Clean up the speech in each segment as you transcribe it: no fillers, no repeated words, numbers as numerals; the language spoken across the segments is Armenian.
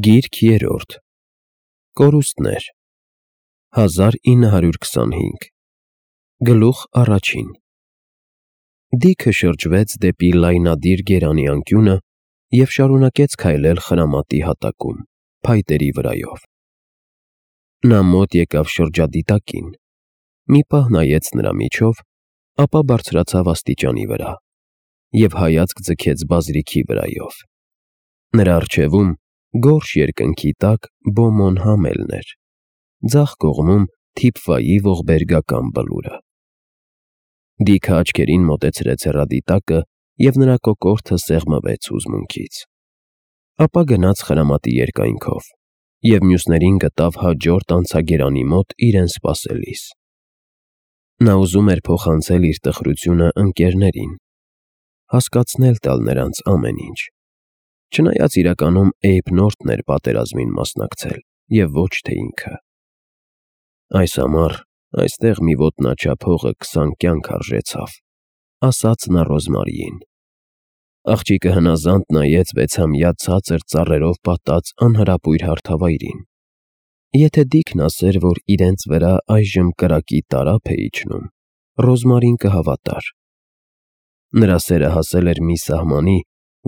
Գիրք երրորդ Կորուստներ 1925 Գլուխ առաջին Դիքը շրջվեց դեպի լայնադիր գերանի անկյունը և շարունակեց քայլել խրամատի հատակում, փայտերի վրայով։ Նա մոտ եկավ շրջադիտակին, մի պահ նայեց նրա միջով, ապա բարձրացավ աստիճանի վրա և հայացք ձգեց բազրիքի վրայով։ Նրա առջևում գորշ երկնքի տակ Բոմոն համելն էր, ձախ կողմում Թիփվայի ողբերգական բլուրը։ Դիքը աչքերին մոտեցրեց հեռադիտակը և նրա կոկորդը սեղմվեց հուզմունքից։ Ապա գնաց խրամատի երկայնքով և մյուսներին գտավ հաջորդ անցագերանի մոտ իրեն սպասելիս։ Նա ուզում էր փոխանցել իր տխրությունը ընկերներին, հասկացնել տալ նրանց ամեն ինչ, չնայած իրականում Էյբ Նորթն էր պատերազմին մասնակցել և ոչ թե ինքը։ Այս ամառ այստեղ մի ոտնաչափ հողը 20 կյանք արժեցավ, ասաց նա Ռոզմարիին։ Աղջիկը հնազանդ նայեց վեցամյա ցածր ծառերով պատած անհրապույր հարթավայրին։ Եթե Դիքն ասեր, որ իրենց վրա այժմ կրակի տարափ է իջնում, Ռոզմարին կհավատար։ Նրա սերը հասել էր մի սահմանի,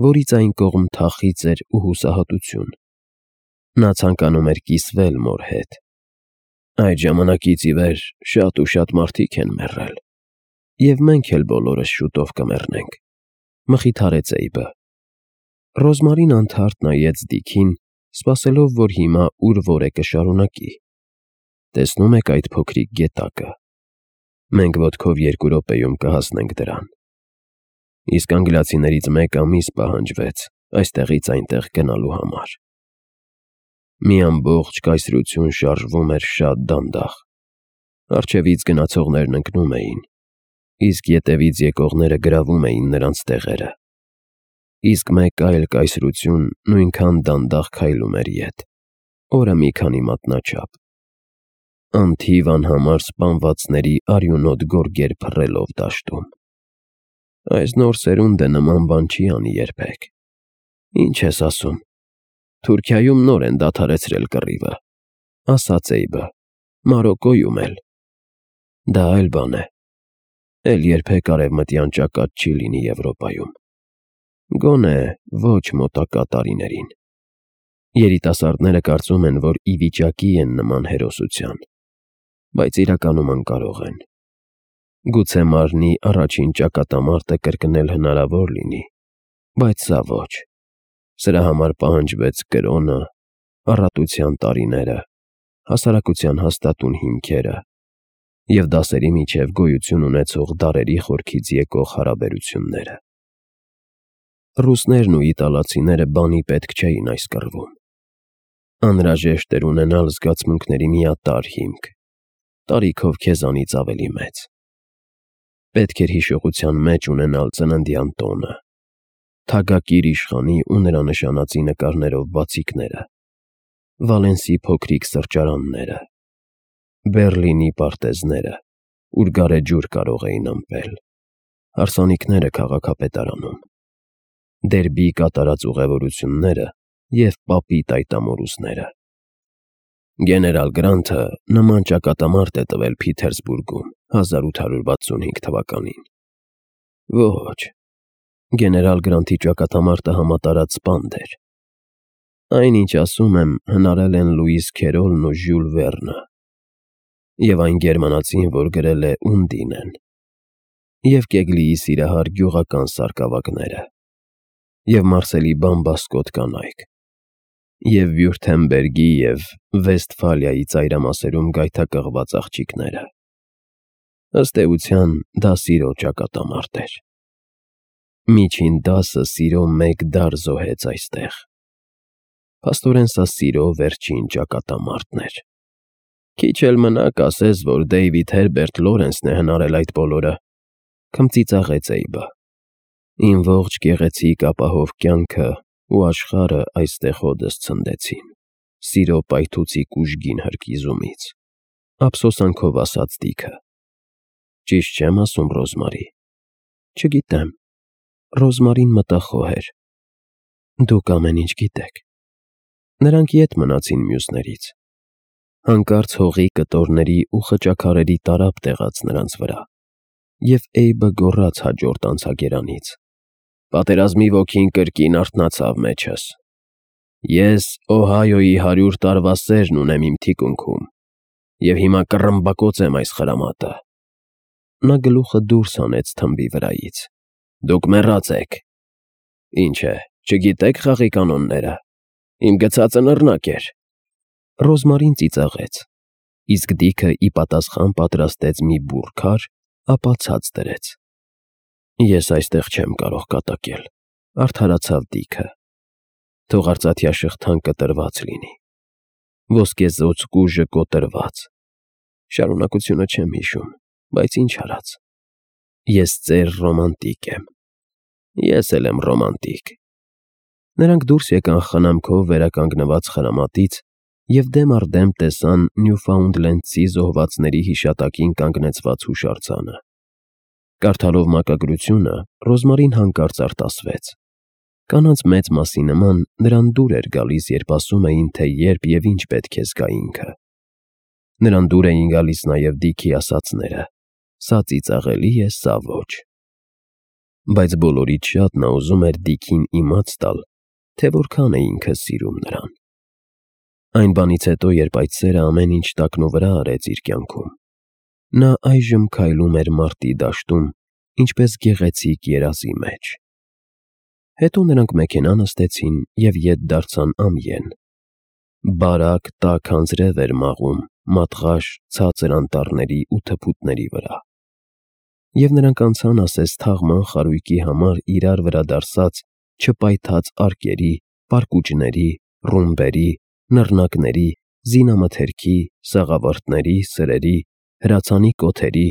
որից այն կողմ թախիծ էր ու հուսահատություն։ Նա ցանկանում էր կիսվել մոր հետ։ Այդ ժամանակից ի վեր շատ ու շատ մարդիկ են մեռել, և մենք էլ բոլորս շուտով կմեռնենք, մխիթարեց Էյբը։ Ռոզմարին անթարթ նայեց Դիքին, սպասելով, որ հիմա ուր որ է կշարունակի։ Տեսնում եք այդ փոքրիկ գետակը։ Մենք ոտքով 2 րոպեում կհասնենք դրան։ Իսկ անգլիացիներից 1 ամիս պահանջվեց այստեղից այնտեղ գնալու համար։ Մի ամբողջ կայսրություն շարժվում էր շատ դանդաղ։ Առջևից գնացողներն ընկնում էին, իսկ ետևից եկողները գրավում էին նրանց տեղերը։ Իսկ մեկ այլ կայսրություն նույնքան դանդաղ քայլում էր ետ, օրը մի քանի մատնաչափ, անթիվ անհամար սպանվածների արյունոտ գորգեր փռելով դաշտում։ Այս նոր սերունդը նման բան չի անի երբեք։ Ինչ ես ասում, Թուրքիայում նոր են դադարեցրել կռիվը, ասաց Էյբը, Մարոկկոյում էլ։ Դա այլ բան է, էլ երբեք արևմտյան ճակատ չի լինի Եվրոպայում, գոնե ոչ մոտակա տարիներին։ Երիտասարդները կարծում են, որ ի վիճակի են նման հերոսության, բայց իրականում անկարող են։ Գուցե մարնի առաջին ճակատամարտը կրկնել հնարավոր լինի, բայց սա ոչ։ Սրա համար պահանջվեց կրոնը, առատության տարիները, հասարակության հաստատուն հիմքերը և դասերի միջև գոյություն ունեցող դարերի խորքից եկող հարաբերությունները։ Ռուսներն ու իտալացիները բանի պետք չէին այս կռվում։ Անհրաժեշտ էր ունենալ զգացմունքների միատարր հիմք, տարիքով քեզանից ավելի մեծ։ Պետք էր հիշողության մեջ ունենալ ծննդյան տոնը, թագակիր իշխանի ու նրա նշանածի նկարներով բացիկները, Վալենսի փոքրիկ սրճարանները, Բեռլինի պարտեզները, ուր գարեջուր կարող էին ըմպել, հարսանիքները քաղաքապետարանում, Դերբի կատարած ուղևորությունները և Պապի տայտամորուսները։ Գեներալ Գրանթը նման ճակատամարտ է տվել Փիթերսբուրգում 1865 թվականին։ Ոչ, գեներալ Գրանթի ճակատամարտը համատարած սպանդ էր։ Այն, ինչ ասում եմ, հնարել են Լուիս Քերոլն ու Ժյուլ Վերնը, և այն գերմանացին, որ գրել է Ունդինեն, և Կեգլիի սիրահար գյուղական սարկավագները, և Մարսելի բամբասկոտ կանայք, և Վյուրթեմբերգի և Վեստֆալիայի ծայրամասերում գայթակղված աղջիկները։ Ըստ էության, դա սիրո ճակատամարտ էր։ Միջին դասը սիրո 1 դար զոհեց այստեղ։ Փաստորեն սա սիրո վերջին ճակատամարտն էր։ Քիչ էլ մնա կասես, որ Դեյվիդ Հերբերտ Լորենսն է հնարել այդ բոլորը, քմծիծաղեց Էյբը։ Իմ ողջ գեղեցիկ ապահով կյանքը ու աշխարհը այստեղ հօդս ցնդեցին, սիրո պայթուցիկ ուժգին հրկիզումից, ափսոսանքով ասաց Դիքը։ Ճիշտ չեմ ասում, Ռոզմարի։ Չգիտեմ։ Ռոզմարին մտախոհ էր։ Դուք ամեն ինչ գիտեք։ Նրանք ետ մնացին մյուսներից։ Հանկարծ հողի կտորների ու խճաքարերի տարափ տեղաց նրանց վրա, և Էյբը գոռաց հաջորդ անցագերանից. «Պատերազմի ոգին կրկին արթնացավ մեջս։ Ես Օհայոյի 100 տարվա սերն ունեմ իմ թիկունքում, և հիմա կռմբակոծեմ այս խրամատը»։ Նա գլուխը դուրս հանեց թմբի վրայից։ «Դուք մեռած եք։ Ինչ է, չգիտե՞ք խաղի կանոնները։ Իմ գցածը նռնակ էր»։ Ռոզմարին ծիծաղեց, իսկ Դիքը ի պատասխան պատրաստեց մի բուռ քար, ապա ցած դրեց։ «Ես այստեղ չեմ կարող կատակել», արդարացավ Դիքը։ «Թող արծաթյա շղթան կտրված լինի, ոսկեզօծ կուժը կոտրված։ Շարունակությունը չեմ հիշում, բայց ինչ արած։ Ես ծեր ռոմանտիկ եմ»։ «Ես էլ եմ ռոմանտիկ»։ Նրանք դուրս եկան խնամքով վերականգնված խրամատից և դեմ առ դեմ տեսան նյուֆաունդլենդցի զոհվածների հիշատակին կանգնեցված հուշարձանը։ Կարդալով մակագրությունը, Ռոզմարին հանկարծ արտասվեց։ Կանանց մեծ մասի նման նրան դուր էր գալիս, երբ ասում էին, թե երբ և ինչ պետք է զգա ինքը։ Նրան դուր էին գալիս նաև Դիքի ասածները. «Սա ծիծաղելի է, սա ոչ»։ Բայց բոլորից շատ նա ուզում էր Դիքին իմաց տալ, թե որքան է ինքը սիրում նրան։ Այն բանից հետո, երբ այդ սերը ամեն ինչ տակնուվրա արեց իր կյանքում, նա այժմ քայլում էր մարտի դաշտում, ինչպես գեղեցիկ երազի մեջ։ Հետո նրանք մեքենա նստեցին և ետ դարձան ամիեն։ Բարակ տաք անձրև էր մաղում մատղաշ ցածր անտառների ու թփուտների վրա։ Եվ նրանք անցան ասես թաղման խարույկի համար իրար վրա դարսած չպայթած արկերի, պարկուճների, ռումբերի, նռնակների, զինամթերքի, սաղավարտների, սրերի, հրացանի կոթերի,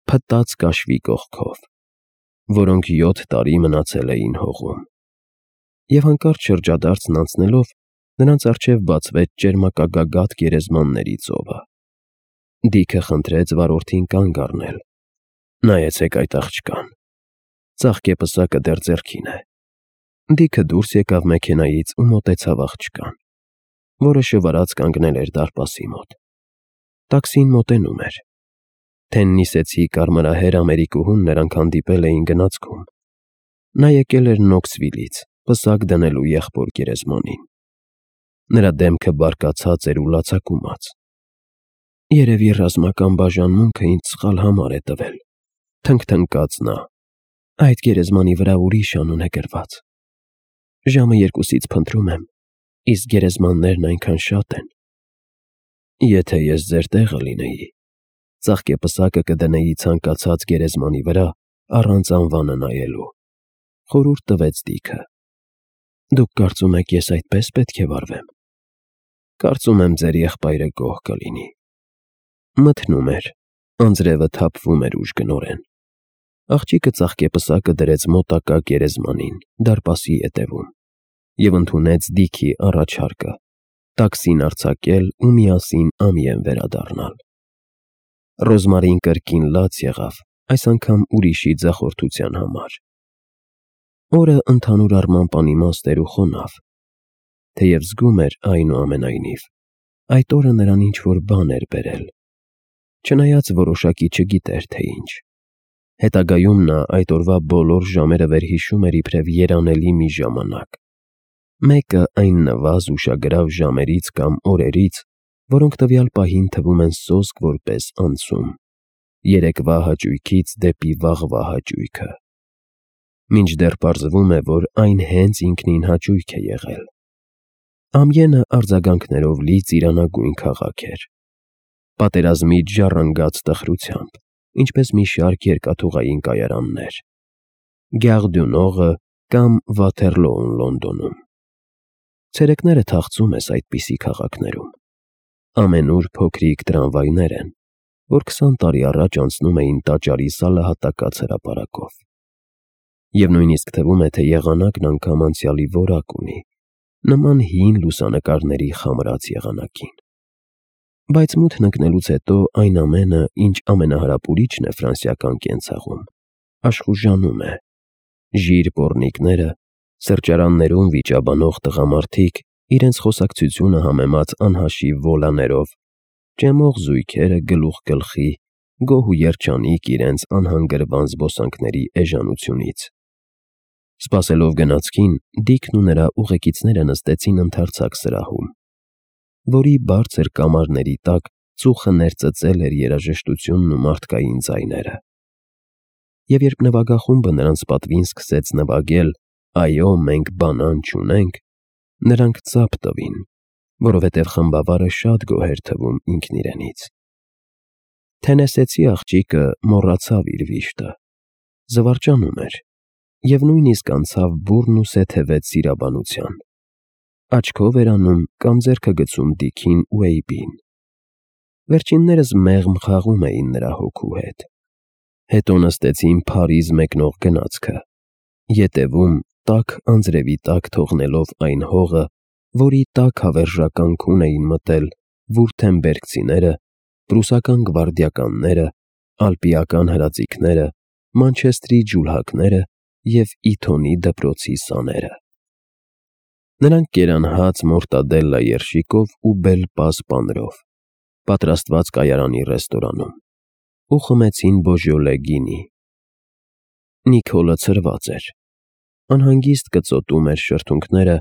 փտած կաշվի կողքով, որոնք 7 տարի մնացել էին հողում։ Եվ հանկարծ շրջադարձն անցնելով, նրանց առջև բացվեց ճերմակագագաթ գերեզմանների ծովը։ Դիքը խնդրեց վարորդին կանգ առնել։ «Նայեցեք այդ աղջկան։ Ծաղկե պսակը դեռ ձեռքին է»։ Դիքը դուրս եկավ մեքենայից ու մոտեցավ աղջկան, որը շվարած կանգնել էր դարպասի մոտ։ Տաքսին մոտենում էր։ Թեննիսեցի կարմրահեր ամերիկուհուն նրանք հանդիպել էին գնացքում։ Նա եկել էր Նոքսվիլից, պսակ դնելու եղբոր գերեզմանին։ Նրա դեմքը բարկացած էր ու լացակումած։ «Երևի ռազմական բաժանմունքը ինձ սխալ համար է տվել», թնգթնգաց նա։ «Այդ գերեզմանի վրա ուրիշ անուն է գրված։ Ժամը 2-ից փնտրում եմ, իսկ գերեզմաններն այնքան շատ են։ Եթե ես ձեր տեղը լինեի, ծաղկեպսակը կդնեի ցանկացած գերեզմանի վրա առանց անվանը նայելու», խորհուրդ տվեց Դիքը։ «Դուք կարծում եք, ես այդպես պետք է վարվեմ»։ «Կարծում եմ, ձեր եղբայրը գոհ կլինի»։ Մթնում էր, անձրևը թափվում էր ուժգնորեն։ Աղջիկը ծաղկեպսակը դրեց մոտակա գերեզմանին, դարպասի ետևում, և ընդունեց Դիքի առաջարկը տաքսին արձակել ու միասին ամիեն վերադառնալ։ Ռոզմարին կրկին լաց եղավ, այս անգամ ուրիշի ձախորդության համար։ Օրը ընդհանուր առմամբ անիմաստ էր ու խոնավ, թեև զգում էր այնուամենայնիվ, այդ օրը նրան ինչ-որ բան էր բերել, չնայած որոշակի չգիտեր, թե ինչ։ Հետագայում նա այդ օրվա բոլոր ժամերը վերհիշում էր իբրև երանելի մի ժամանակ, մեկը այն նվազ ուշագրավ ժամերից կամ օրերից, որոնք տվյալ պահին թվում են սոսկ որպես անցում, երեկվա հաճույքից դեպի վաղվա հաճույքը, մինչդեռ պարզվում է, որ այն հենց ինքնին հաճույք է եղել։ Ամիենը արձագանքներով լի ծիրանագույն քաղաք էր, պատերազմից ժառանգած տխրությամբ, ինչպես մի շարք երկաթուղային կայարաններ, Գար դյու Նորը կամ Վաթերլոուն Լոնդոնում։ Ցերեկները թախծում ես այդպիսի քաղաքներում։ Ամենուր փոքրիկ տրամվայներ են, որ 20 տարի առաջ անցնում էին տաճարի սալահատակած հրապարակով։ Եվ նույնիսկ թվում է, թե եղանակն անգամ անցյալի որակ ունի, նման հին լուսանկարների խամրած եղանակին։ Բայց մութն ընկնելուց հետո այն ամենը, ինչ ամենահրապուրիչն է ֆրանսիական կենցաղում, աշխուժանում է։ Ժիր պոռնիկները, սրճարաններում վիճաբանող տղամարդիկ իրենց խոսակցությունը համեմած անհաշիվ վոլաներով, ճեմող զույգերը գլուխ գլխի, գոհ ու երջանիկ իրենց անհանգրվան զբոսանքների էժանությունից։ Սպասելով գնացքին, Դիքն ու նրա ուղեկիցները նստեցին ընդարձակ սրահում, որի բարձր կամարների տակ ծուխը ներծծել էր երաժշտությունն ու մարդկային ձայները։ Եվ երբ նվագախումբը նրանց պատվին սկսեց նվագել «Այո, մենք բանան չունենք», նրանք ծափ տվին, որովհետև խմբավարը շատ գոհ էր թվում ինքն իրենից։ Թենեսեցի աղջիկը մոռացավ իր վիշտը, զվարճանում էր և նույնիսկ անցավ բուռն ու սեթևեց սիրաբանության։ Աչքով էր անում կամ ձեռքը գցում Դիքին ու Էյբին։ Վերջիններս մեղմ խաղում էին նրա հոգու հետ։ Հետո նստեցին Փարիզ մեկնող գնացքը, ետևում տաք անձրևի տակ թողնելով այն հողը, որի տաք հավերժական քուն էին մտել վուրթեմբերգցիները, պրուսական գվարդիականները, ալպիական հրաձիգները, Մանչեստրի ջուլհակները և Իթոնի դպրոցի սաները։ Նրանք կերան հաց մորտադելլա երշիկով ու բել-պազ պանրով, պատրաստված կայարանի ռեստորանում, ու խմեցին բոժյոլե գինի։ Նիկոլը ցրված էր, անհանգիստ կծոտում էր շրթունքները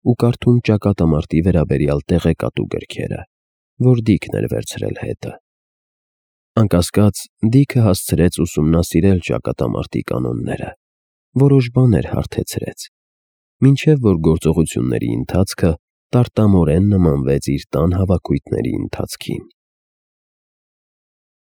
ու կարդում ճակատամարտի վերաբերյալ տեղեկատու գրքերը, որ Դիքն էր վերցրել հետը։ Անկասկած, Դիքը հասցրեց ուսումնասիրել ճակատամարտի կանոնները, որոշ բաներ հարթեցրեց, մինչև որ գործողությունների ընթացքը տարտամորեն նմանվեց իր տան հավաքույթների ընթացքին։